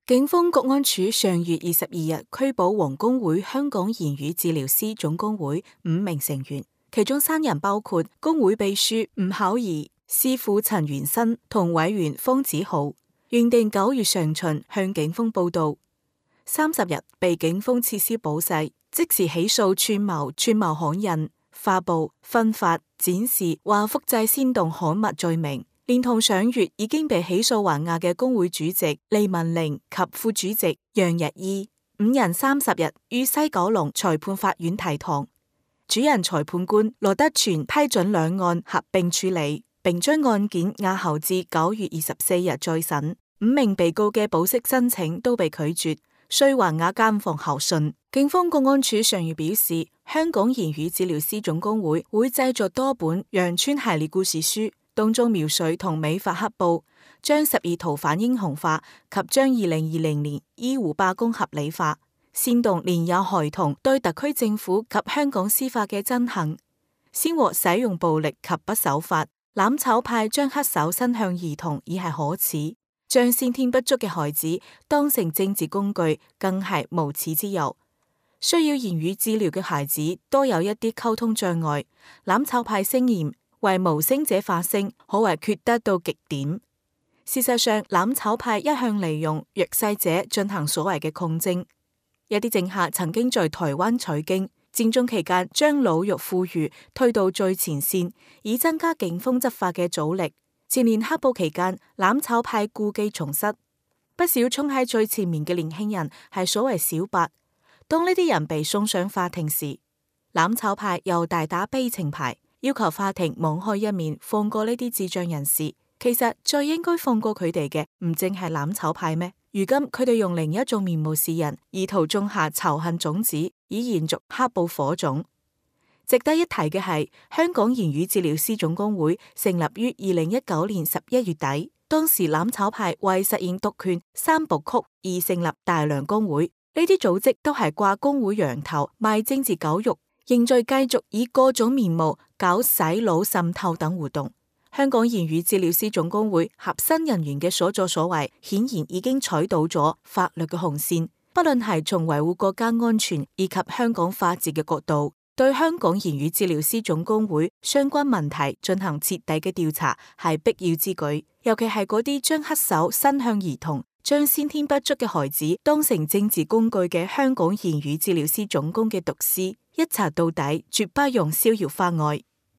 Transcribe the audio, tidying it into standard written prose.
警方國安處上月22日拘捕黃公會香港言語治療師總工會5名成員，其中3人包括工會秘書吳巧儀、師傅陳元新同委員方子豪，原定9月上旬向警方報到，30日被警方撤銷保釋，即時起訴串謀刊印、發布、分發、展示或複製煽動刊物罪名。連同上月已經被起訴還押嘅工會主席利文玲及副主席楊日依5人30日於西九龍裁判法院提堂，主任裁判官羅德全批准兩案合併處理，並將案件押後至9月24日再審。5名被告嘅保釋申請都被拒絕，需還押監房候訊。警方國安處上月表示，香港言語治療師總工會會製作多本羊村系列故事書，當中描述同美化黑暴，將12逃犯英雄化及將2020年醫護罷工合理化，煽動年幼孩童對特區政府及香港司法嘅憎恨，先獲使用暴力及不守法。攬炒派將黑手伸向兒童已係可恥，將先天不足嘅孩子當成政治工具更係無恥之尤。需要言語治療嘅孩子多有一啲溝通障礙，攬炒派聲言為無聲者發聲，可謂缺德到極點。事實上，攬炒派一向利用弱勢者進行所謂嘅抗爭。一啲政客曾經在台灣取經，戰爭期間將老弱婦孺推到最前線，以增加警方執法嘅阻力。前年黑暴期間，攬炒派故技重施，不少衝喺最前面嘅年輕人係所謂小白。當呢啲人被送上法庭時，攬炒派又大打悲情牌，要求法庭網開一面，放過呢啲智障人士。其實最應該放過佢哋嘅，唔淨係攬炒派咩？如今佢哋用另一種面貌示人，意圖種下仇恨種子，以延續黑暴火種。值得一提嘅係，香港言語治療師總工會成立於2019年11月底，當時攬炒派為實現獨權3部曲而成立大良工會。呢啲組織都係掛工會羊頭賣政治狗肉，仍在繼續以各種面貌搞洗腦滲透等活動。香港言語治療師總工會核心人員嘅所作所為，顯然已經踩到咗法律嘅紅線。不論係從維護國家安全以及香港法治嘅角度，對香港言語治療師總工會相關問題進行徹底嘅調查係必要之舉。尤其係嗰啲將黑手伸向兒童，將先天不足嘅孩子當成政治工具嘅香港言語治療師總工嘅毒師，一查到底，絕不容逍遙法外。